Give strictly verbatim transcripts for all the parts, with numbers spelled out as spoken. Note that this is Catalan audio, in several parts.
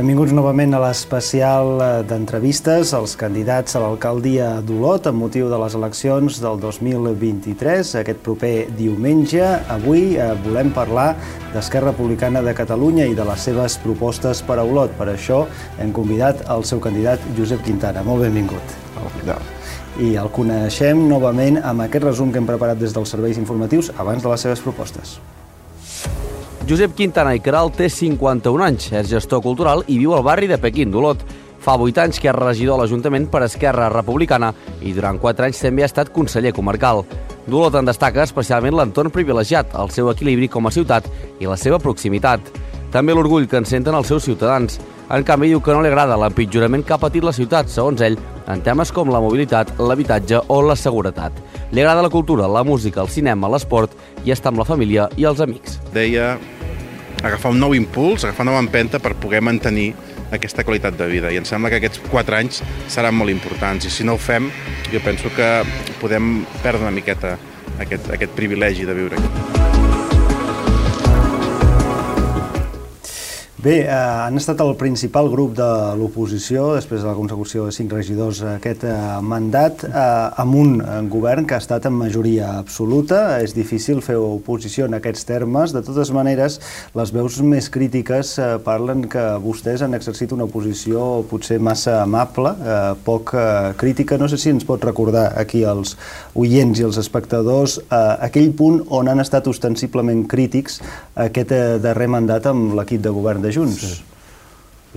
Benvinguts novament a l'especial d'entrevistes als candidats a l'alcaldia d'Olot amb motiu de les eleccions del dos mil vint-i-tres, aquest proper diumenge. Avui volem parlar d'Esquerra Republicana de Catalunya i de les seves propostes per a Olot. Per això hem convidat el seu candidat Josep Quintana. Molt benvingut. Hola. I el coneixem novament amb aquest resum que hem preparat des dels serveis informatius abans de les seves propostes. Josep Quintana i Queralt té cinquanta-un anys, és gestor cultural i viu al barri de Pequín d'Olot. Fa vuit anys que és regidor a l'Ajuntament per Esquerra Republicana i durant quatre anys també ha estat conseller comarcal. D'Olot en destaca especialment l'entorn privilegiat, el seu equilibri com a ciutat i la seva proximitat. També l'orgull que en senten els seus ciutadans. En canvi, diu que no li agrada l'empitjorament que ha patit la ciutat, segons ell, en temes com la mobilitat, l'habitatge o la seguretat. Li agrada la cultura, la música, el cinema, l'esport i estar amb la família i els amics. Deia agafar un nou impuls, agafar una nova empenta per poder mantenir aquesta qualitat de vida. I em sembla que aquests quatre anys seran molt importants. I si no ho fem, jo penso que podem perdre una miqueta aquest, aquest privilegi de viure aquí. Bé, eh, han estat el principal grup de l'oposició, després de la consecució de cinc regidors aquest eh, mandat, eh, amb un govern que ha estat en majoria absoluta. És difícil fer oposició en aquests termes. De totes maneres, les veus més crítiques eh, parlen que vostès han exercit una oposició potser massa amable, eh, poc eh, crítica. No sé si ens pot recordar aquí als oients i als espectadors eh, aquell punt on han estat ostensiblement crítics aquest eh, darrer mandat amb l'equip de govern de Junts. Sí.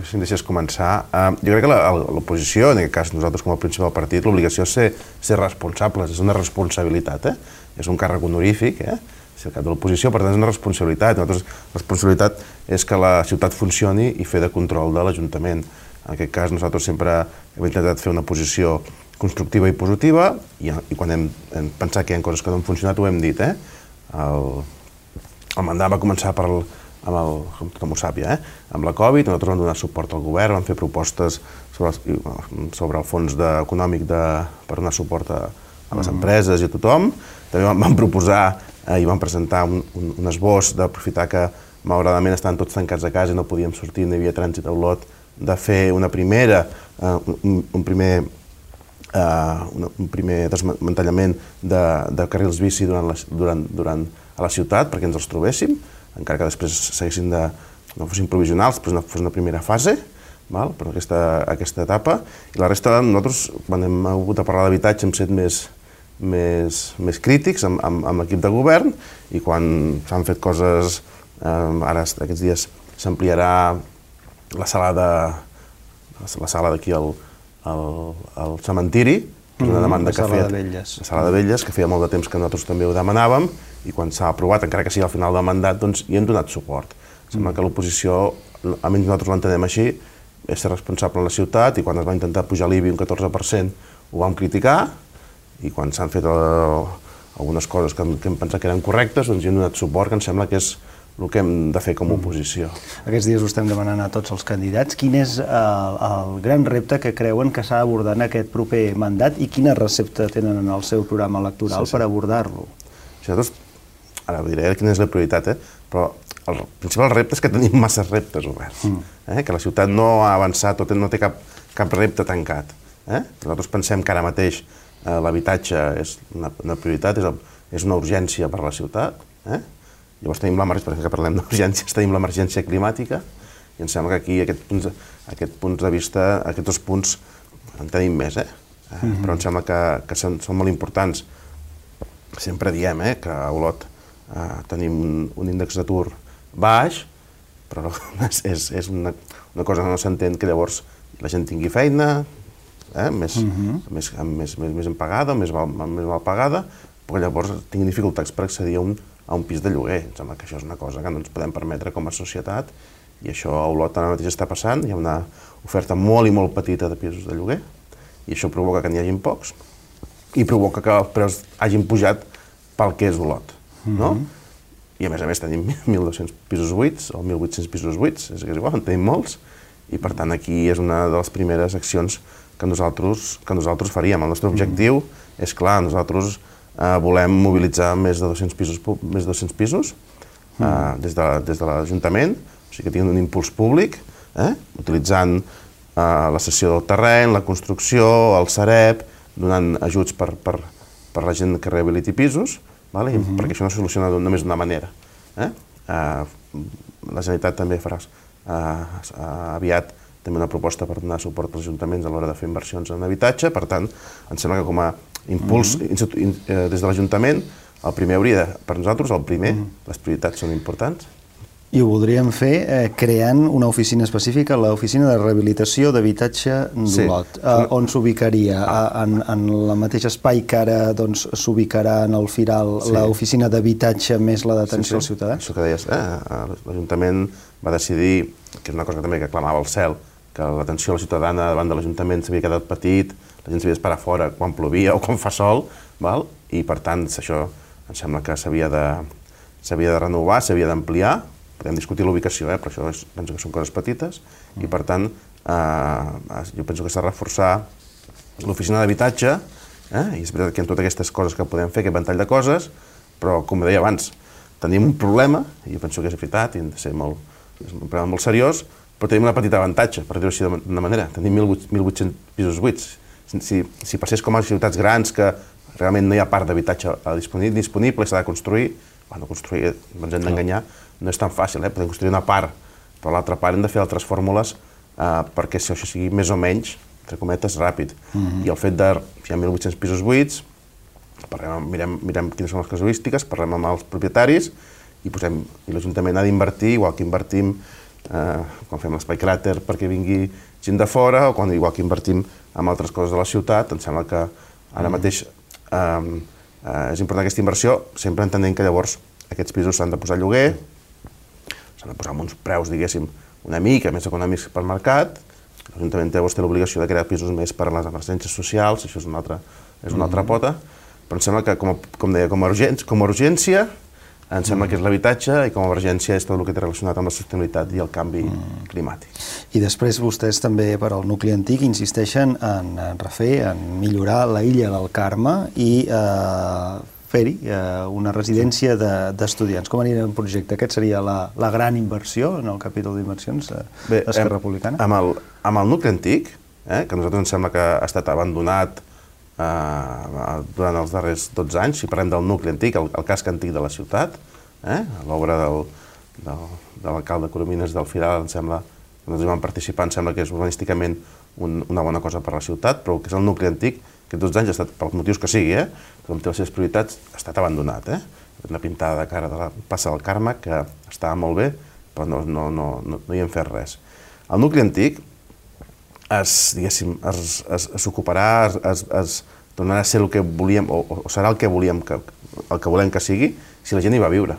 Si em deixes començar, uh, jo crec que l'oposició, en aquest cas nosaltres com a principal partit, l'obligació és ser, ser responsables, és una responsabilitat, eh? És un càrrec honorífic, eh? Ser el cap de l'oposició, per tant és una responsabilitat. Nosaltres, la responsabilitat és que la ciutat funcioni i fer de control de l'Ajuntament. En aquest cas nosaltres sempre hem intentat fer una posició constructiva i positiva i, i quan hem, hem pensat que hi ha coses que no han funcionat ho hem dit, eh? El, el mandat va començar per el amb el, com tothom ho sap ja, eh? amb la Covid, nosaltres vam donar suport al govern, vam fer propostes sobre, sobre el fons de, econòmic de, per donar suport a, a les empreses i a tothom. També vam, vam proposar eh, i vam presentar un, un, un esbós d'aprofitar que malauradament estaven tots tancats a casa i no podíem sortir, no hi havia trànsit a Olot, de fer una primera, eh, un, un primer Uh, un, un primer desmantellament de, de carrils bici durant la, durant, durant a la ciutat perquè ens els trobéssim, encara que després seguissin de, no fossin provisionals, però no fos una primera fase, val? Per aquesta, aquesta etapa. I la resta, nosaltres, quan hem hagut de parlar d'habitatge, hem set més, més, més crítics amb, amb, amb l'equip de govern i quan s'han fet coses, eh, ara aquests dies s'ampliarà la sala de la sala d'aquí al al, al cementiri, que és una demanda mm, que feia... de Velles. La sala de Velles, que feia molt de temps que nosaltres també ho demanàvem, i quan s'ha aprovat, encara que sigui al final del mandat, doncs hi hem donat suport. Sembla mm. que l'oposició, almenys nosaltres l'entenem així, és ser responsable en la ciutat, i quan es va intentar pujar l'I B I un catorze per cent ho vam criticar, i quan s'han fet eh, algunes coses que, que hem pensat que eren correctes, doncs hi hem donat suport, que em sembla que és el que hem de fer com a oposició. Aquests dies ho estem demanant a tots els candidats. Quin és el, el gran repte que creuen que s'ha d'abordar en aquest proper mandat i quina recepta tenen en el seu programa electoral sí, sí. per abordar-lo? Nosaltres, ara diré quina és la prioritat, eh? Però el principal repte és que tenim massa reptes oberts, mm. eh? Que la ciutat no ha avançat, no té cap, cap repte tancat. Eh? Nosaltres pensem que ara mateix eh, l'habitatge és una, una prioritat, és, és una urgència per a la ciutat, eh? Llavors tenim l'emergència, que parlem d'urgències, tenim l'emergència climàtica i em sembla que aquí aquest punts, aquest punts de vista, aquests dos punts en tenim més, eh? Mm-hmm. Però em sembla que, que són, són molt importants. Sempre diem eh, que a Olot eh, tenim un, un índex d'atur baix, però és, és una, una cosa que no s'entén que llavors la gent tingui feina, eh, més, mm-hmm. més, més, més, més empagada, més mal, més mal pagada, però llavors tinguin dificultats per accedir a un a un pis de lloguer. Em sembla que això és una cosa que no ens podem permetre com a societat i això a Olot ara mateix està passant. Hi ha una oferta molt i molt petita de pisos de lloguer i això provoca que n'hi hagin pocs i provoca que els preus hagin pujat pel que és Olot. No? Mm-hmm. I a més a més tenim mil dos-cents pisos buits o mil vuit-cents pisos buits, és que és igual, en tenim molts i per tant aquí és una de les primeres accions que nosaltres, que nosaltres faríem. El nostre objectiu mm-hmm. és clar, nosaltres Uh, volem mobilitzar més de dos-cents pisos, més de dos-cents pisos uh, mm. des de, des de l'Ajuntament, o sigui que tinguin un impuls públic eh? utilitzant eh, la cessió del terreny, la construcció, el Sareb, donant ajuts per, per, per la gent que rehabiliti pisos, vale? Uh-huh. perquè això no es soluciona només d'una manera. Eh? Eh, la Generalitat també farà eh, aviat també una proposta per donar suport als ajuntaments a l'hora de fer inversions en habitatge, per tant, em sembla que com a impuls uh-huh. in, eh, des de l'Ajuntament, el primer hauria de, per nosaltres, el primer, uh-huh. les prioritats són importants. I ho voldríem fer eh, creant una oficina específica, l'oficina de rehabilitació d'habitatge d'Olot. Sí. Eh, on s'ubicaria? Ah. En, en el mateix espai que ara doncs, s'ubicarà en el Firal sí. l'oficina d'habitatge més la d'atenció sí, sí. als ciutadans? Això que deies, eh? l'Ajuntament va decidir, que és una cosa que també que clamava el cel, que l'atenció a la ciutadana davant de l'Ajuntament s'havia quedat petit, la gent s'havia d'esperar fora quan plovia o quan fa sol, val? I per tant això em sembla que s'havia de, s'havia de renovar, s'havia d'ampliar. Podem discutir l'ubicació, eh? però això és, penso que són coses petites, mm. i per tant eh, jo penso que s'ha de reforçar l'oficina d'habitatge, eh? i és veritat que hi ha totes aquestes coses que podem fer, aquest ventall de coses, però com deia abans, tenim un problema, i jo penso que és veritat, i hem de ser molt, és un problema molt seriós, però tenim una petita avantatge, per dir-ho així d'una manera, tenim mil vuit-cents pisos buits. Si, si passés com a ciutats grans que realment no hi ha part d'habitatge disponible, s'ha de construir, bueno, construir, ens hem d'enganyar, no és tan fàcil, eh? podem construir una part, però l'altra part hem de fer altres fórmules eh, perquè si això sigui més o menys, entre cometes, ràpid. Mm-hmm. I el fet de, si hi ha mil vuit-cents pisos buits, parlem, mirem, mirem quines són les casuístiques, parlem amb els propietaris i, posem, i l'Ajuntament ha d'invertir, igual que invertim eh, quan fem l'espai cràter perquè vingui gent de fora, o quan, igual que invertim en altres coses de la ciutat, em sembla que ara mm. mateix eh, eh, és important aquesta inversió, sempre entenent que llavors aquests pisos s'han de posar a lloguer, s'han de posar amb uns preus, diguéssim, una mica més econòmics pel mercat. L'Ajuntament té l'obligació de crear pisos més per a les emergències socials, això és una altra, és una altra pota, però em sembla que, com, a, com deia, com a, urgència, com a urgència, em sembla que és l'habitatge i com a emergència és tot el que té relacionat amb la sostenibilitat i el canvi mm. climàtic. I després vostès també, per al nucli antic, insisteixen en, en refer, en millorar la illa del Carme i eh, fer-hi eh, una residència d'estudiants. Com anirà el projecte? Aquest seria la, la gran inversió en el capítol d'inversions d'Esquerra Republicana? Amb el, amb el nucli antic, eh, que a nosaltres ens sembla que ha estat abandonat eh, durant els darrers dotze anys, si parlem del nucli antic, el, el casc antic de la ciutat, eh, l'obra del, del, de l'alcalde Coromines del Firal, em sembla, que nosaltres vam participar, em sembla que és urbanísticament un, una bona cosa per la ciutat, però el que és el nucli antic, aquests dotze anys ha estat, pels motius que sigui, eh, com té les seves prioritats, ha estat abandonat. Eh? Una pintada de cara de la plaça del Carme, que estava molt bé, però no, no, no, no, no hi hem fet res. El nucli antic es, diguéssim, es, es, es ocuparà, es, es, es tornarà a ser el que volíem, o, o serà el que volíem que, el que volem que sigui, si la gent hi va viure.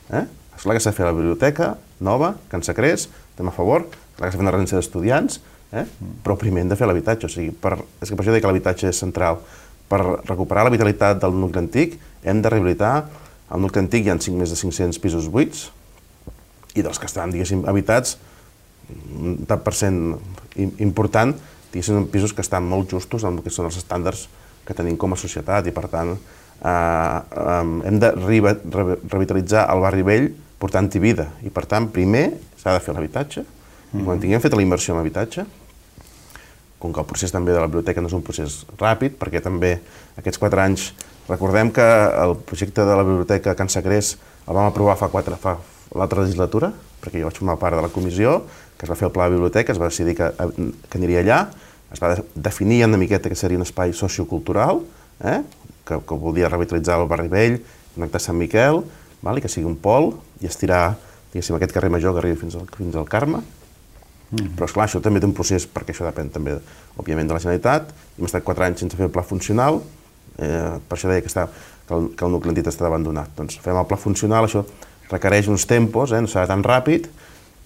Eh? És clar que s'ha de fer la biblioteca nova, que ens creix, estem a favor, és clar que s'ha de fer una residència d'estudiants, eh? però primer hem de fer l'habitatge, o sigui, per, és que per això dic que l'habitatge és central. Per recuperar la vitalitat del nucli antic, hem de rehabilitar el nucli antic, hi ha més de cinc-cents pisos buits, i dels que estan, diguéssim, habitats, un tant per cent important, diguéssim, pisos que estan molt justos amb el que són els estàndards que tenim com a societat, i per tant eh, eh, hem de re re revitalitzar el barri vell portant-hi vida, i per tant primer s'ha de fer l'habitatge, i quan tinguem fet la inversió en habitatge, com que el procés també de la biblioteca no és un procés ràpid, perquè també aquests quatre anys, recordem que el projecte de la biblioteca a Can Sacrés el vam aprovar fa quatre, fa l'altra legislatura, perquè jo vaig formar part de la comissió, que es va fer el pla de biblioteca, es va decidir que, que aniria allà, es va definir una miqueta que seria un espai sociocultural, eh? que, que volia revitalitzar el barri vell, connectar Sant Miquel, val? I que sigui un pol, i estirar, diguéssim, aquest carrer major que arribi fins al, fins al Carme. Mm. Però, esclar, això també té un procés, perquè això depèn també, òbviament, de la Generalitat. Hem estat quatre anys sense fer el pla funcional, eh, per això deia que, està, que, el, que el nucli antic està abandonat. Doncs fem el pla funcional, això requereix uns tempos, eh, no serà tan ràpid,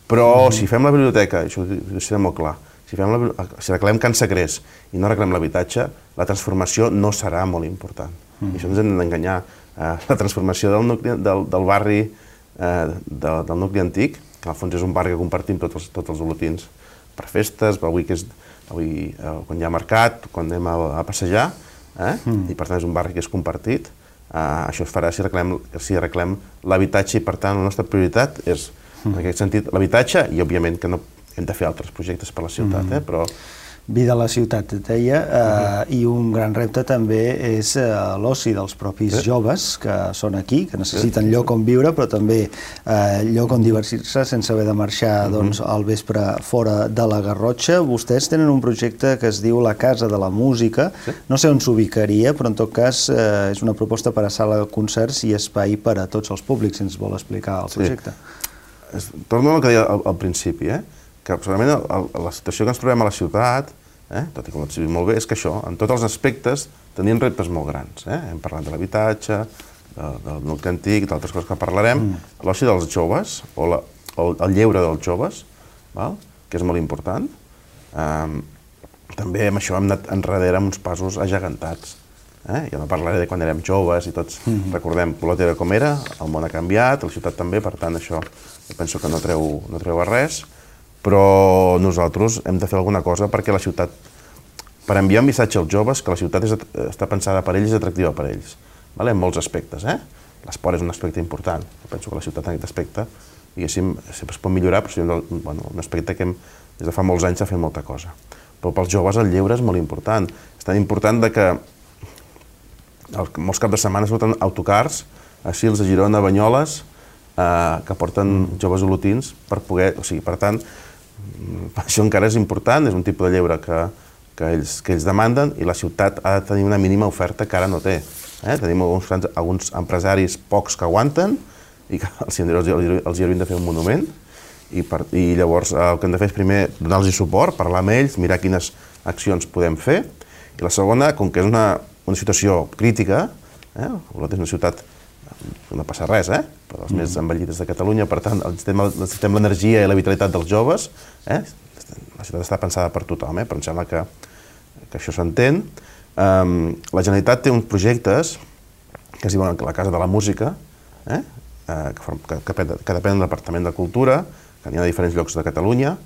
però mm. si fem la biblioteca, això ho serà molt clar, si, fem la, si arreglem Can Sacrés i no arreglem l'habitatge, la transformació no serà molt important. Mm. I això ens hem d'enganyar. Eh, la transformació del, nucli, del, del barri, eh, de, del nucli antic, que al fons és un barri que compartim tots els, tots els olotins per festes, avui, que és, avui eh, quan hi ha mercat, quan anem a, a passejar, eh? mm. i per tant és un barri que és compartit. Eh, això es farà si arreglem, si arreglem l'habitatge, i per tant la nostra prioritat és, mm. en aquest sentit, l'habitatge, i òbviament que no, hem de fer altres projectes per la ciutat, eh? Però... Vida a la ciutat, et deia, eh, uh-huh. i un gran repte també és eh, l'oci dels propis sí. joves que són aquí, que necessiten sí. lloc on viure, però també eh, lloc on divertir-se sense haver de marxar uh-huh. doncs, al vespre fora de la Garrotxa. Vostès tenen un projecte que es diu La Casa de la Música, sí. no sé on s'ubicaria, però en tot cas eh, és una proposta per a sala de concerts i espai per a tots els públics, si ens vol explicar el projecte. Sí. Torno al que deia al, al principi, eh? que segurament el, el, la situació que ens trobem a la ciutat, eh, tot i com ho has dit molt bé, és que això, en tots els aspectes, tenim reptes molt grans. Eh? Hem parlat de l'habitatge, de, del nucli antic, d'altres coses que parlarem, mm. l'oci dels joves, o, la, o el lleure dels joves, val? Que és molt important. Um, també amb això hem anat enrere amb uns passos agegantats. Eh? Ja no parlaré de quan érem joves i tots mm. recordem Polot era com era, el món ha canviat, la ciutat també, per tant això jo penso que no treu, no treu a res. Però nosaltres hem de fer alguna cosa perquè la ciutat, per enviar un missatge als joves que la ciutat és, està pensada per ells i és atractiva per ells, vale? En molts aspectes. Eh? L'esport és un aspecte important. Jo penso que la ciutat en aquest aspecte, diguéssim, sempre es pot millorar, però és bueno, un aspecte que hem, des de fa molts anys s'ha fet molta cosa. Però pels joves el lleure és molt important. És tan important de que el, molts caps de setmana surten autocars a Sils, a Girona, a Banyoles, eh, que porten joves olotins per poder... O sigui, per tant, això encara és important, és un tipus de lleure que, que, ells, que ells demanden i la ciutat ha de tenir una mínima oferta que ara no té. Eh? Tenim alguns, alguns empresaris pocs que aguanten i que els, els, els hi haurien de fer un monument i, per, i llavors el que hem de fer és primer donar-los suport, parlar amb ells, mirar quines accions podem fer i la segona, com que és una, una situació crítica, eh? Olot és una ciutat no passa res, eh? Per les mm. més envellides de Catalunya, per tant, necessitem l'energia i la vitalitat dels joves, eh? La ciutat està pensada per tothom, eh? Però em sembla que, que això s'entén. Um, la Generalitat té uns projectes que es diuen la Casa de la Música, eh? uh, que, que, que, que depèn del Departament de Cultura, que n'hi ha a diferents llocs de Catalunya.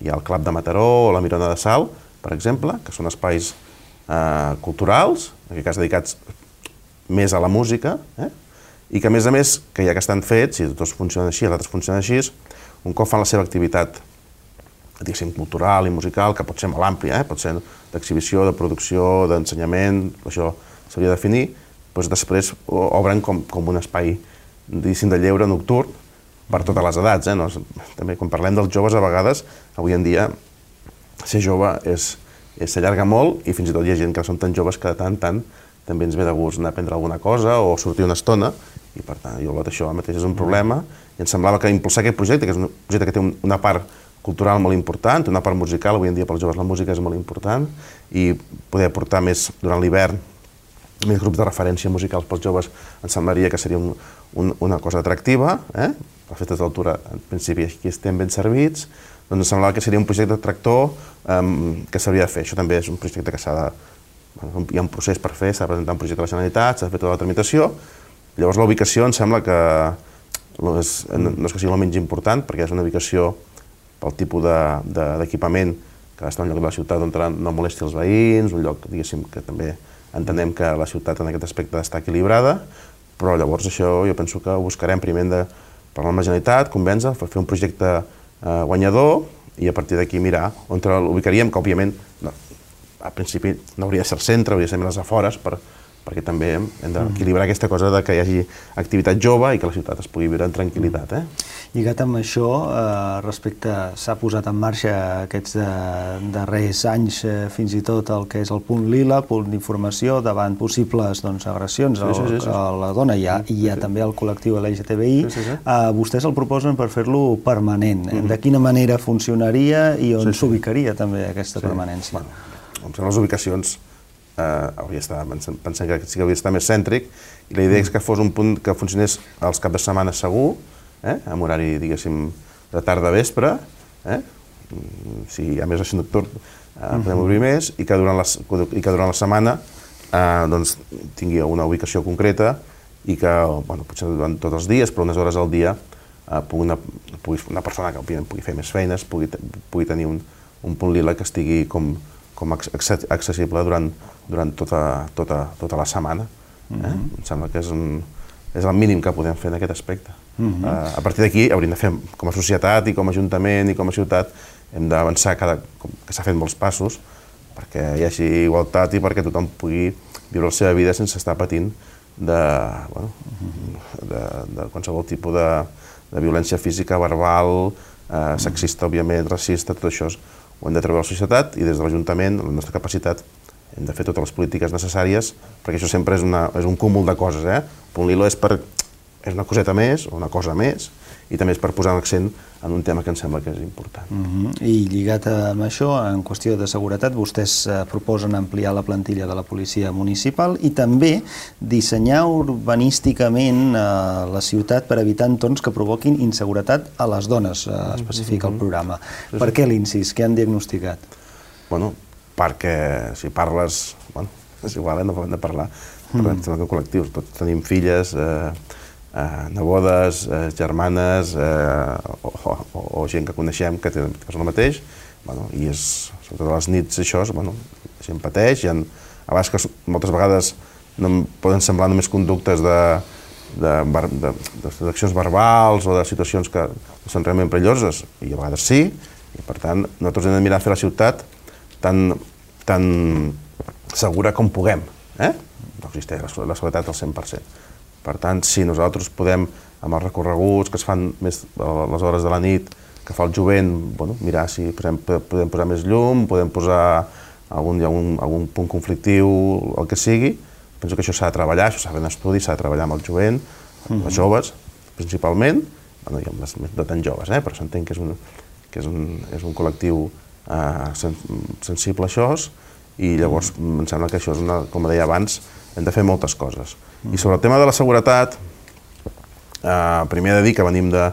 Hi ha el Club de Mataró o la Mirona de Sal, per exemple, que són espais uh, culturals, en aquest cas dedicats més a la música, eh? I que a més a més, que ja que estan fets, i tots funcionen així, els altres funcionen així, un cop fan la seva activitat, diguéssim, cultural i musical, que pot ser molt àmplia, eh? Pot ser d'exhibició, de producció, d'ensenyament, això s'hauria de definir, doncs després obren com, com un espai, diguéssim, de lleure nocturn per totes les edats, eh? No, també quan parlem dels joves, a vegades, avui en dia, ser jove és, és s'allarga molt i fins i tot hi ha gent que són tan joves que de tant en tant també ens ve de gust anar a prendre alguna cosa o sortir una estona, i per tant, jo això mateix és un problema, i em semblava que impulsar aquest projecte, que és un projecte que té una part cultural molt important, una part musical, avui en dia pels joves la música és molt important, i poder aportar més durant l'hivern, més grups de referència musicals pels joves, em semblaria que seria un, un, una cosa atractiva, eh? Les festes d'altura, en principi, aquí estem ben servits, doncs em semblava que seria un projecte tractor um, que s'hauria de fer. Això també és un projecte que s'ha de... Bueno, hi ha un procés per fer, s'ha de presentar un projecte a la Generalitat, s'ha de fer tota la tramitació. Llavors la ubicació em sembla que no és, no és que sigui el menys important, perquè és una ubicació pel tipus d'equipament de, de, que està en un lloc de la ciutat on no molesti els veïns, un lloc, diguéssim, que també entenem que la ciutat en aquest aspecte està equilibrada, però llavors això jo penso que ho buscarem primer de parlar amb la Generalitat, convèncer, fer un projecte eh, guanyador i a partir d'aquí mirar on l'ubicaríem, que òbviament no, al principi no hauria de ser el centre, hauria de ser més les afores, per, perquè també hem d'equilibrar aquesta cosa de que hi hagi activitat jove i que la ciutat es pugui viure en tranquil·litat. Eh? Lligat amb això, eh, respecte, s'ha posat en marxa aquests de, darrers anys, eh, fins i tot el que és el punt lila, punt d'informació davant possibles doncs, agressions sí, sí, sí, sí. a la dona. Hi ha, sí, hi ha sí. també el col·lectiu L G T B I. Sí, sí, sí. Eh, vostès el proposen per fer-lo permanent. Mm-hmm. De quina manera funcionaria i on s'ubicaria sí, sí. també aquesta sí. permanència? Bueno. Com són les ubicacions, eh, hauria d'estar, pensem que sí que hauria d'estar més cèntric, i la idea és que fos un punt que funcionés als caps de setmana segur, eh, amb horari, diguéssim, de tarda a vespre, eh, si hi ha més oci nocturn, eh, podem obrir més, i que durant la, i que durant la setmana eh, doncs, tingui una ubicació concreta i que, bueno, potser durant tots els dies, però unes hores al dia, eh, pugui una, pugui, una persona que òbviament pugui fer més feines, pugui, pugui tenir un, un punt lila que estigui com com accessible durant, durant tota, tota, tota la setmana. Eh? Mm-hmm. Em sembla que és, un, és el mínim que podem fer en aquest aspecte. Uh-huh. uh, a partir d'aquí hauríem de fer, com a societat i com a ajuntament i com a ciutat, hem d'avançar cada, que s'ha fet molts passos perquè hi hagi igualtat i perquè tothom pugui viure la seva vida sense estar patint de, bueno, de, de qualsevol tipus de, de violència física, verbal, eh, sexista, òbviament, racista, tot això ho hem de treure a la societat i des de l'Ajuntament, la nostra capacitat, hem de fer totes les polítiques necessàries perquè això sempre és, una, és un cúmul de coses, eh? Un hilo és per és una coseta més, o una cosa més, i també és per posar l'accent en un tema que em sembla que és important. Uh-huh. I lligat amb això, en qüestió de seguretat, vostès eh, proposen ampliar la plantilla de la policia municipal i també dissenyar urbanísticament eh, la ciutat per evitar entorns que provoquin inseguretat a les dones, eh, especifica el programa. Uh-huh. Per què l'incís? Què han diagnosticat? Bueno, perquè si parles... Bueno, és igual, eh? No hem de parlar. Parlem uh-huh. de col·lectius. Tots tenim filles... Eh, Uh, nebodes, uh, germanes uh, o, o, o gent que coneixem que, té, que és el mateix, bueno, i és, sobretot a les nits això, bueno, la gent pateix, hi ha, a vegades que moltes vegades no poden semblar només conductes de, de, de, de, d'accions verbals o de situacions que són realment perilloses, i a vegades sí, i per tant nosaltres hem de mirar a fer la ciutat tan, tan segura com puguem, eh? No existeix la, la seguretat al cent per cent. Per tant, si nosaltres podem, amb els recorreguts que es fan més a les hores de la nit, que fa el jovent, bueno, mirar si podem, podem posar més llum, podem posar algun, algun, algun punt conflictiu, el que sigui, penso que això s'ha de treballar, això s'ha de fer un estudi, s'ha de treballar amb el jovent, amb els joves, principalment, bueno, i amb les no tan joves, eh, però s'entén que és un, que és un, és un col·lectiu eh, sen, sensible a això, i llavors em sembla que això és una, com deia abans, hem de fer moltes coses. I sobre el tema de la seguretat, eh, primer he de dir que venim de,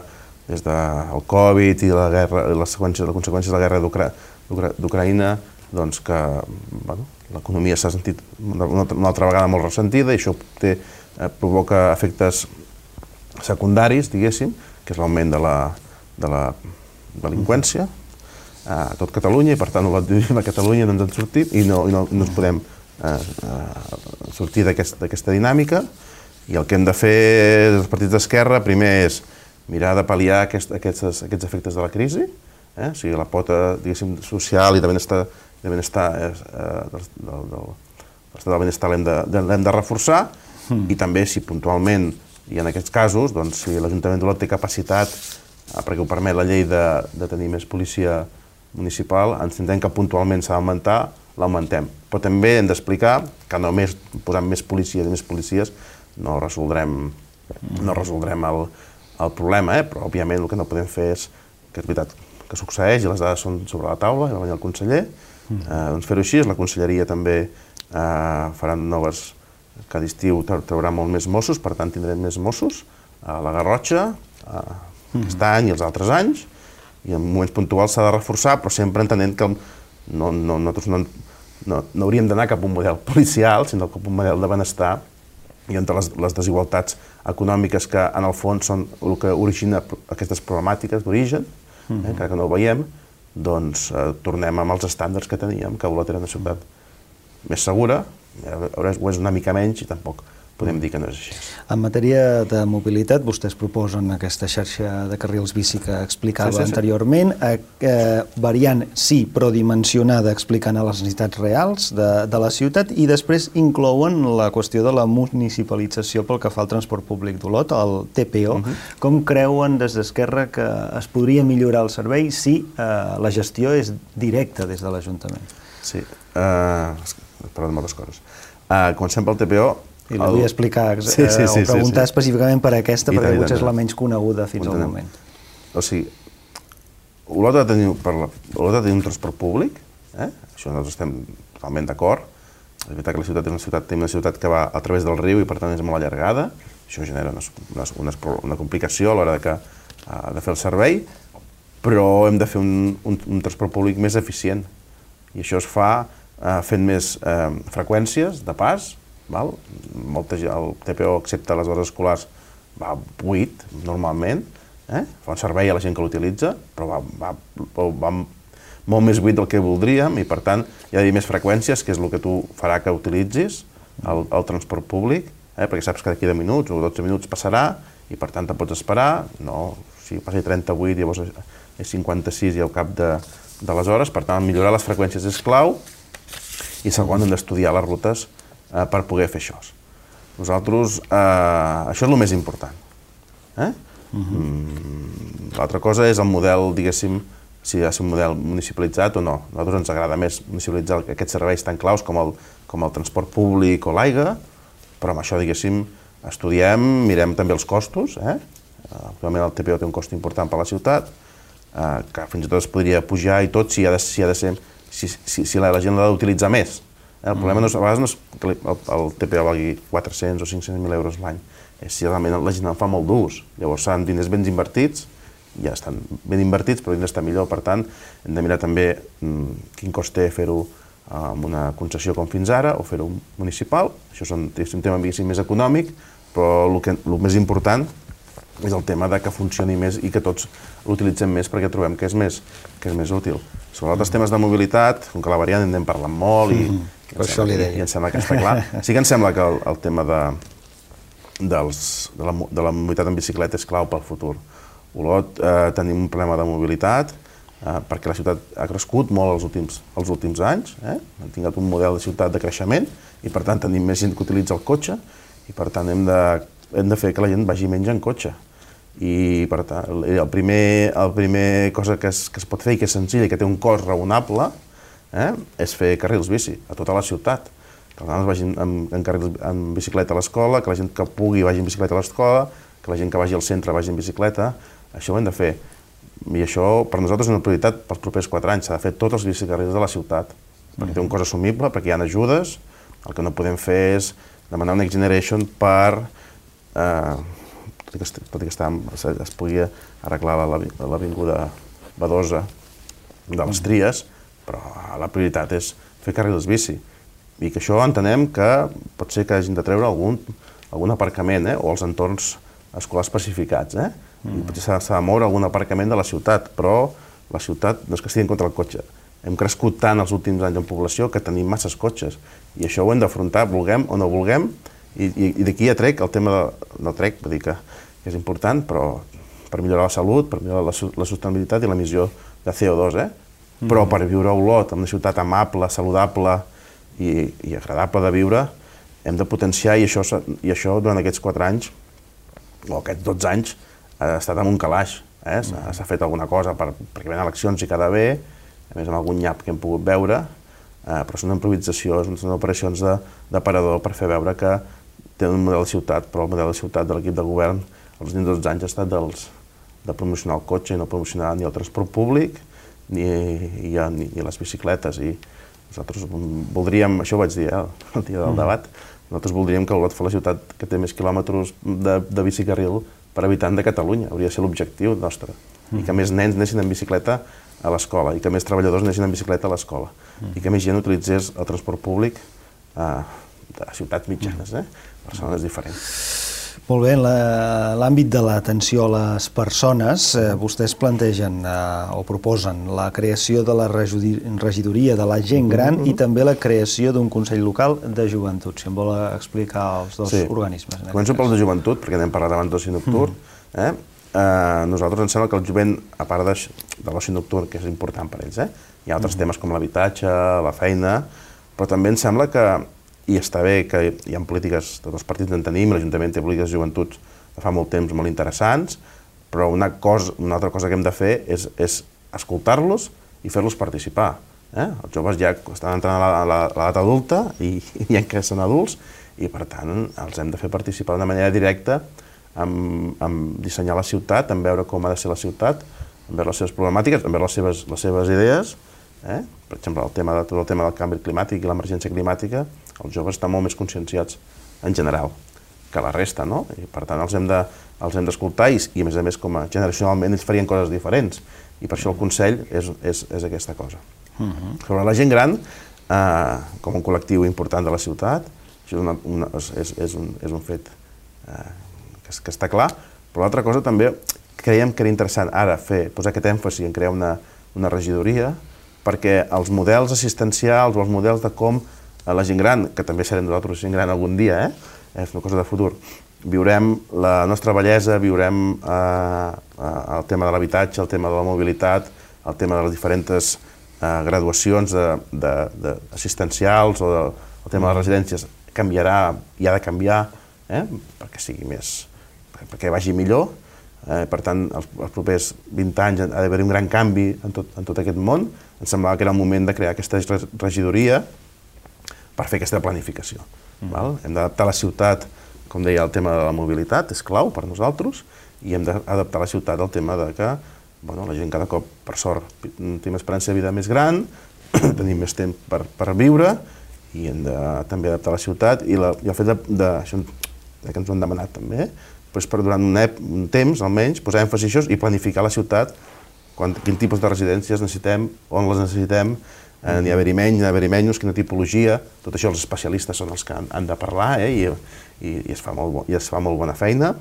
des del Covid i la guerra, les conseqüències, les conseqüències de la guerra d'Ucraïna, doncs que bueno, l'economia s'ha sentit una, una altra vegada molt ressentida i això té, eh, provoca efectes secundaris, diguéssim, que és l'augment de la, de la delinqüència a tot Catalunya i per tant vivim a Catalunya, no ens en sortim i no, i no, no ens podem eh, eh, sortir d'aquesta dinàmica i el que hem de fer els partits d'esquerra primer és mirar de pal·liar aquest, aquests, aquests efectes de la crisi, eh? O sigui, la pota diguéssim, social i de benestar, de benestar eh, del, del, del, del benestar l'hem de, l'hem de reforçar mm. i també si puntualment i en aquests casos, doncs, si l'Ajuntament d'Olot té capacitat, perquè ho permet la llei de, de tenir més policia municipal, ens entenem que puntualment s'ha d'augmentar, l'augmentem. Però també hem d'explicar que només posant més policies i més policies no resoldrem, no resoldrem el, el problema, eh? Però òbviament el que no podem fer és, que és veritat que succeeix i les dades són sobre la taula, i va venir el conseller, eh, doncs fer-ho així, la conselleria també eh, farà noves, cada estiu traurà molt més Mossos, per tant tindrem més Mossos a la Garrotxa, eh, aquest any i els altres anys, i en moments puntuals s'ha de reforçar, però sempre entenent que no, no, nosaltres no, no, no hauríem d'anar cap a un model policial, sinó cap a un model de benestar, i entre les, les desigualtats econòmiques que en el fons són el que origina aquestes problemàtiques d'origen, eh, encara que no ho veiem, doncs eh, tornem amb els estàndards que teníem, que Olot era una ciutat més segura, ho és una mica menys i tampoc podem dir que no és així. En matèria de mobilitat, vostès proposen aquesta xarxa de carrils bici que explicava sí, sí, sí. anteriorment, eh, variant sí, però dimensionada, explicant les necessitats reals de, de la ciutat, i després inclouen la qüestió de la municipalització pel que fa al transport públic d'Olot, el T P O. Uh-huh. Com creuen des d'Esquerra que es podria millorar el servei si eh, la gestió és directa des de l'Ajuntament? Sí, uh, parlem de moltes coses. Uh, comencem pel T P O. I la vull explicar, sí, sí, sí, o preguntar sí, sí. específicament per aquesta, I perquè potser és la menys coneguda fins al moment. O sigui, Olot ha de tenir, per la, Olot ha de tenir un transport públic, eh? Això nosaltres estem totalment d'acord. És veritat que la ciutat és una ciutat, una ciutat que va a través del riu i per tant és molt allargada. Això genera una, una, una complicació a l'hora de, que, de fer el servei, però hem de fer un, un, un transport públic més eficient. I això es fa eh, fent més eh, freqüències de pas, val? Molta, el T P O, excepte les hores escolars, va buit, normalment, eh? Fa un servei a la gent que l'utilitza, però va, va, va molt més buit del que voldríem i, per tant, hi ha d'haver més freqüències, que és el que tu farà que utilitzis el, el transport públic, eh? Perquè saps que d'aquí deu minuts o dotze minuts passarà i per tant te pots esperar, no, si passi trenta-vuit, llavors és cinquanta-sis i al cap de, de les hores, per tant, millorar les freqüències és clau, i segon, hem d'estudiar les rutes eh, per poder fer això. Nosaltres, eh, això és el més important. Eh? Uh-huh. mm, L'altra cosa és el model, diguéssim, si ha de ser un model municipalitzat o no. A nosaltres ens agrada més municipalitzar aquests serveis tan claus com el, com el transport públic o l'aigua, però amb això, diguéssim, estudiem, mirem també els costos. Eh? Actualment el T P O té un cost important per a la ciutat, eh, que fins i tot es podria pujar i tot si ha de, si ha de ser, si, si, si la, la gent l'ha d'utilitzar més. Eh? El problema no és, a vegades no és que el, el T P O valgui quatre-cents o cinc-cents mil euros l'any, és si realment la gent en fa molt d'ús. Llavors seran diners ben invertits, ja estan ben invertits, però hem d'estar millor. Per tant, hem de mirar també mmm, quin cost té fer-ho amb una concessió com fins ara, o fer-ho municipal. Això és un, és un tema més econòmic, però el, que, el més important és el tema de que funcioni més i que tots l'utilitzem més perquè trobem que és més, que és més útil. Sobre altres temes de mobilitat, com que la variant en anem parlant molt i, mm-hmm. i, em sembla, i em sembla que està clar. Sí que em sembla que el, el tema de, dels, de, la, de la mobilitat en bicicleta és clau pel futur. Olot eh, tenim un problema de mobilitat eh, perquè la ciutat ha crescut molt els últims, els últims anys, eh? Hem tingut un model de ciutat de creixement i per tant tenim més gent que utilitza el cotxe i per tant hem de, hem de fer que la gent vagi menys en cotxe. I per tant, el primer, el primer cosa que es, que es pot fer i que és senzill i que té un cost raonable eh, és fer carrils bici a tota la ciutat. Que els nanos vagin en, en, carrils, en bicicleta a l'escola, que la gent que pugui vagi en bicicleta a l'escola, que la gent que vagi al centre vagi en bicicleta. Això ho hem de fer. I això, per nosaltres, és una prioritat pels propers quatre anys. S'ha de fer tots els bicicarrils de la ciutat, perquè té un cost assumible, perquè hi ha ajudes. El que no podem fer és demanar un Next Generation per... Eh, tot i que està, es pugui arreglar l'avinguda Badosa de les Tries, però la prioritat és fer carrils bici. I que això entenem que pot ser que hagin de treure algun, algun aparcament, eh? O els entorns escolars especificats. Eh? Mm. I potser s'ha de moure algun aparcament de la ciutat, però la ciutat no és que estigui en contra del cotxe. Hem crescut tant els últims anys en població que tenim masses cotxes. I això ho hem d'afrontar, vulguem o no vulguem, i, i, i d'aquí ja trec el tema de... no trec, vull dir que és important, però per millorar la salut, per millorar la, la sostenibilitat i l'emissió de C O dos, eh? Mm. Però per viure a Olot, en una ciutat amable, saludable i, i agradable de viure, hem de potenciar, i això, i això durant aquests quatre anys, o aquests dotze anys, ha estat amb un calaix. Eh? S'ha mm. fet alguna cosa per, perquè venen eleccions i queda bé, a més amb algun nyap que hem pogut veure, eh, però són improvisacions, són operacions d'aparador per fer veure que té un model de ciutat, però el model de ciutat de l'equip de govern els últims dotze anys ha estat dels, de promocionar el cotxe i no promocionar ni el transport públic ni, ni, ni, ni les bicicletes. I nosaltres voldríem, això ho vaig dir eh, el dia del debat, nosaltres voldríem que Olot fos la ciutat que té més quilòmetres de, de bicicarril per habitant de Catalunya. Hauria de ser l'objectiu nostre. Mm. I que més nens anessin en bicicleta a l'escola, i que més treballadors anessin en bicicleta a l'escola, mm. i que més gent utilitzés el transport públic eh, de ciutats mitjanes, eh? Persones diferents. Molt bé, en l'àmbit de l'atenció a les persones, eh, vostès plantegen eh, o proposen la creació de la regidoria de la gent gran mm-hmm. i també la creació d'un Consell Local de Joventut. Si em vol explicar els dos sí. organismes. Començo pel de joventut, perquè anem parlant abans d'oci nocturn. Mm. Eh? Eh, nosaltres ens sembla que el jovent, a part de, de l'oci nocturn, que és important per ells, eh? Hi ha altres mm. temes com l'habitatge, la feina, però també ens sembla que i està bé que hi ha polítiques, tots els partits en tenim, l'Ajuntament té polítiques de joventut de fa molt temps molt interessants, però una, cosa, una altra cosa que hem de fer és, és escoltar-los i fer-los participar. Eh? Els joves ja estan entrant a l'edat adulta i, i ja que són adults i per tant els hem de fer participar d'una manera directa en, en dissenyar la ciutat, en veure com ha de ser la ciutat, en veure les seves problemàtiques, en veure les seves, les seves idees. Eh? Per exemple, el tema de, tot el tema del canvi climàtic i l'emergència climàtica, els joves estan molt més conscienciats en general que la resta, no? I per tant els hem de, els hem d'escoltar i, i a més a més com a generacionalment ells farien coses diferents i per això el Consell és, és, és aquesta cosa. Uh-huh. Sobre la gent gran, eh, com un col·lectiu important de la ciutat, això és, una, una, és, és, un, és un fet eh, que, que està clar, però l'altra cosa també creiem que era interessant ara fer, posar aquest èmfasi en crear una, una regidoria perquè els models assistencials o els models de com la gent gran, que també serem nosaltres gent gran algun dia, eh? És una cosa de futur, viurem la nostra bellesa, viurem eh, el tema de l'habitatge, el tema de la mobilitat, el tema de les diferents eh, graduacions assistencials o de, el tema de les residències canviarà i ha de canviar eh, perquè sigui més, perquè vagi millor. Eh, per tant, els, els propers vint anys ha d'haver un gran canvi en tot, en tot aquest món. Em semblava que era el moment de crear aquesta regidoria per fer aquesta planificació. Mm. Val? Hem d'adaptar la ciutat, com deia, el tema de la mobilitat és clau per nosaltres, i hem d'adaptar la ciutat al tema de que bueno, la gent cada cop, per sort, té una esperança de vida més gran, tenim més temps per, per viure, i hem de també adaptar la ciutat, i, la, i el fet de, de, això que ens ho han demanat també, doncs per durant un, ep, un temps, almenys, posar èmfasi això i planificar la ciutat, quan, quin tipus de residències necessitem, on les necessitem, eh, n'hi ha haver-hi menys, n'hi ha haver-hi menys, quina tipologia, tot això els especialistes són els que han, han de parlar, eh, i, i, i, es fa molt bo, i es fa molt bona feina.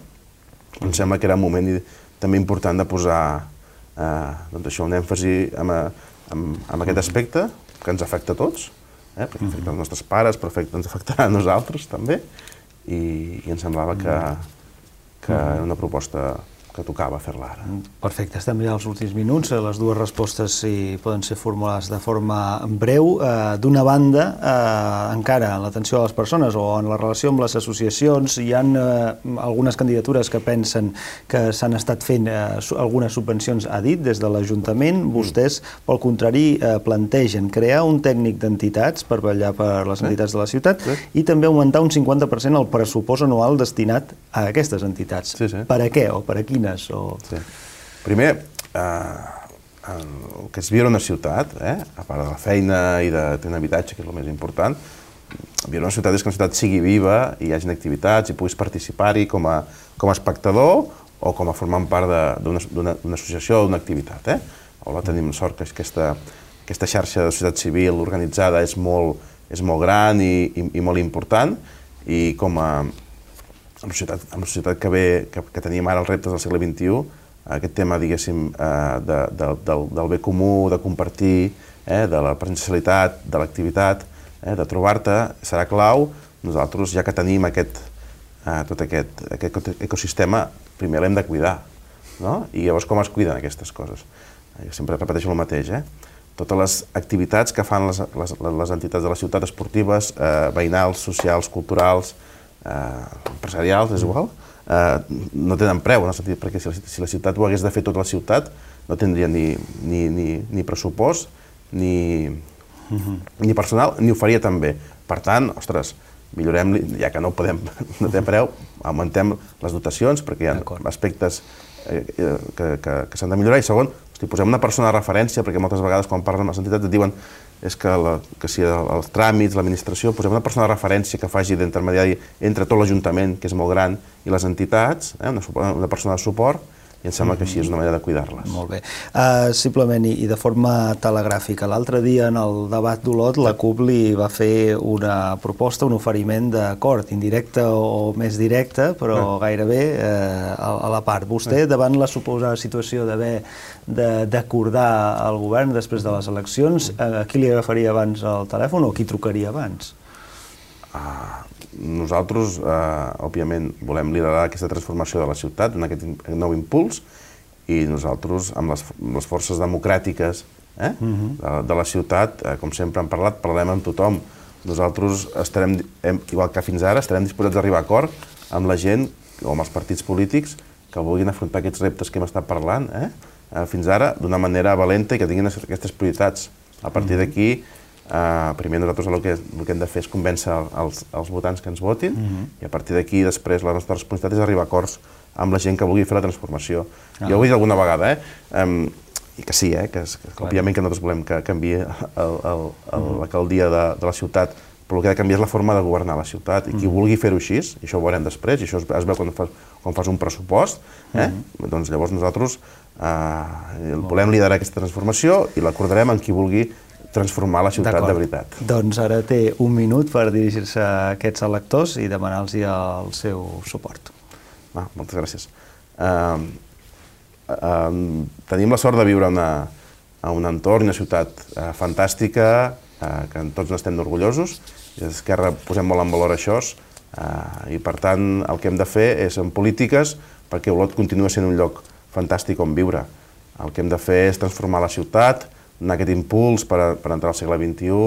Em sembla que era un moment també important de posar eh, doncs això, un èmfasi en, en, en aquest aspecte, que ens afecta a tots, eh, perquè afecta els nostres pares, però afecta, ens afectarà a nosaltres també, i, i em semblava que que era una proposta que tocava fer-la ara. Perfecte, estem ja als últims minuts. Les dues respostes si poden ser formulades de forma breu. Eh, D'una banda, eh, encara en l'atenció a les persones o en la relació amb les associacions, hi ha eh, algunes candidatures que pensen que s'han estat fent eh, algunes subvencions, ha dit, des de l'Ajuntament. Vostès, pel contrari, eh, plantegen crear un tècnic d'entitats per vetllar per les entitats de la ciutat sí. i també augmentar un cinquanta per cent el pressupost anual destinat a aquestes entitats. Sí, sí. Per a què o per a quines? O... Sí. Primer, eh, el que és viure una ciutat, eh, a part de la feina i de tenir un habitatge, que és el més important, viure una ciutat és que una ciutat sigui viva i hi hagi activitats i puguis participar-hi com, a, com a espectador o com a formant part d'una associació o d'una activitat. Eh? Hola, tenim sort que aquesta, aquesta xarxa de societat civil organitzada és molt, és molt gran i, i, i molt important, i com a amb la societat, amb la societat que, ve, que, que tenim ara els reptes del segle vint-i-u, aquest tema, diguéssim, eh, de, de, del, del bé comú, de compartir, eh, de la presencialitat, de l'activitat, eh, de trobar-te, serà clau. Nosaltres, ja que tenim aquest, eh, tot aquest, aquest ecosistema, primer l'hem de cuidar, no? I llavors com es cuiden aquestes coses? Jo sempre repeteixo el mateix, eh? Totes les activitats que fan les, les, les entitats de la ciutat, esportives, eh, veïnals, socials, culturals, Eh, empresarials, és igual, eh, no tenen preu, en el sentit, perquè si la, si la ciutat ho hagués de fer tota la ciutat, no tindria ni, ni, ni, ni pressupost, ni, uh-huh. ni personal, ni ho faria també. Per tant, ostres, millorem, ja que no podem, no té preu, augmentem les dotacions, perquè hi ha aspectes eh, que, que, que s'han de millorar, i segon, hosti, posem una persona de referència, perquè moltes vegades quan parlen amb les entitats et diuen és que, la, que si els tràmits, l'administració, posem una persona de referència que faci d'intermediari entre tot l'Ajuntament, que és molt gran, i les entitats, eh, una, una persona de suport, i em sembla que així és una manera de cuidar-les. Molt bé. Uh, simplement, i, i de forma telegràfica, l'altre dia en el debat d'Olot la C U P li va fer una proposta, un oferiment d'acord, indirecte o més directe, però ah. gairebé uh, a, a la part. Vostè, ah. davant la suposada situació d'haver d'acordar el govern després de les eleccions, a qui li agafaria abans el telèfon o qui trucaria abans? Ah, nosaltres, eh, òbviament, volem liderar aquesta transformació de la ciutat, donar aquest nou impuls, i nosaltres, amb les, amb les forces democràtiques eh, uh-huh. de, de la ciutat, eh, com sempre hem parlat, parlem amb tothom. Nosaltres estarem, hem, igual que fins ara, estarem disposats a arribar a acord amb la gent o amb els partits polítics que vulguin afrontar aquests reptes que hem estat parlant eh, fins ara d'una manera valenta i que tinguin aquestes prioritats. A partir d'aquí, Uh, primer nosaltres el que, el que hem de fer és convèncer els, els votants que ens votin uh-huh. i a partir d'aquí després la nostra responsabilitat és arribar a acords amb la gent que vulgui fer la transformació. Ah. Jo ho he dit alguna vegada, eh? Um, i que sí, eh? que, que, que òbviament que nosaltres volem que canviï l'alcaldia de, de la ciutat, però el que ha de canviar és la forma de governar la ciutat, i qui uh-huh. vulgui fer-ho així, i això ho veurem després, i això es, es veu quan fas, quan fas un pressupost, eh? uh-huh. doncs llavors nosaltres uh, volem liderar aquesta transformació i l'acordarem amb qui vulgui transformar la ciutat de veritat. Doncs ara té un minut per dirigir-se a aquests electors i demanar-los el seu suport. Ah, moltes gràcies. Uh, uh, tenim la sort de viure una, a un entorn, una ciutat uh, fantàstica, uh, que tots n'estem orgullosos, i a Esquerra posem molt en valor això. I, per tant, el que hem de fer és en polítiques perquè Olot continua sent un lloc fantàstic on viure. El que hem de fer és transformar la ciutat, donar aquest impuls per, per entrar al segle vint-i-u,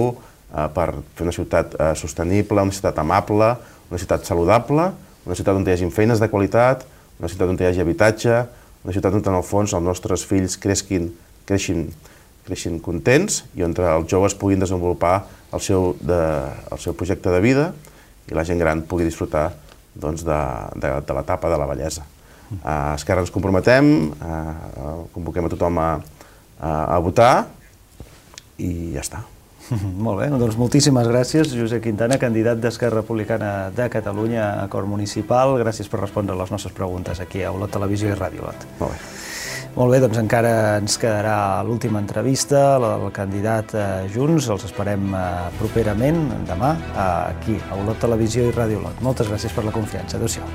eh, per fer una ciutat eh, sostenible, una ciutat amable, una ciutat saludable, una ciutat on hi hagi feines de qualitat, una ciutat on hi hagi habitatge, una ciutat on, en el fons, els nostres fills creixin, creixin, creixin contents i on els joves puguin desenvolupar el seu, de, el seu projecte de vida i la gent gran pugui disfrutar doncs, de, de, de l'etapa de la vellesa. A Esquerra ens comprometem, a, convoquem a tothom a, a, a votar i ja està. Molt bé, doncs moltíssimes gràcies, Josep Quintana, candidat d'Esquerra Republicana de Catalunya a Cort Municipal. Gràcies per respondre a les nostres preguntes aquí a Olot Televisió i Ràdio Olot. Molt bé. Molt bé, doncs encara ens quedarà l'última entrevista, la del candidat Junts. Els esperem properament, demà, aquí a Olot Televisió i Ràdio Olot. Moltes gràcies per la confiança. Adéu-siau.